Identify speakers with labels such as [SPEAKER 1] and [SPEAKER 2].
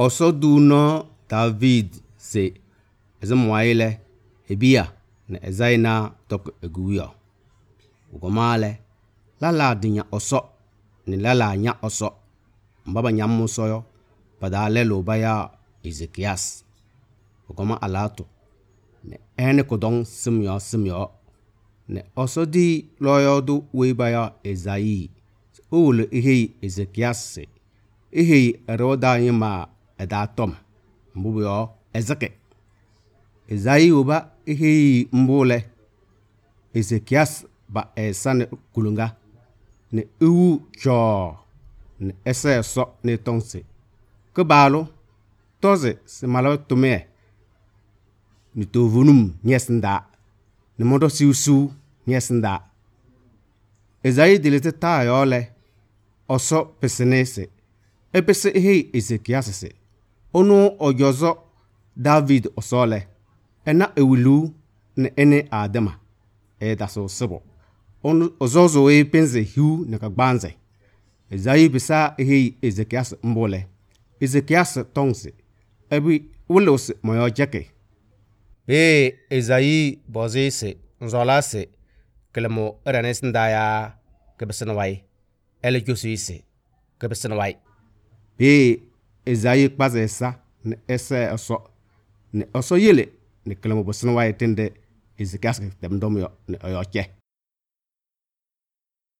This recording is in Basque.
[SPEAKER 1] Oso du no David se ezemwaile ebia na ezaina tok eguyo. Ugomale lala dinya oso ni lala nya oso. Mbaba nyam soyo pada lelo baya Ezekias. Ugoma alato ne ene kodong simyo ne oso di loyo du we baya Ezai. Ule ihe Ezekias se ihe eroda yima edatom mbuyo ezeke. Ezai uba ihe mbule Ezekias ba esane kulunga ne iwu cho ne ese so ne tonse kebalo toze se malo tume ni tovunum nyesnda ne modo siusu nyesnda. Ezai dilete ta yole oso pesenese epese ihe Ezekias se onu ojozo David osole ena ewilu ne ene adema daso sebo onu ozozo penze hiu ne kagbanze. Ezai bisa ihe Ezekias mbole Ezekias tongse ebi wulos moyo jeke. Ezai bozi se nzola se kelemo eranes ndaya kebesenwai ele josi se kebesenwai. Ezai kpaze sa ne ese oso yele ne kelemo besenwai tende Ezekias temdom yo ne oyoche.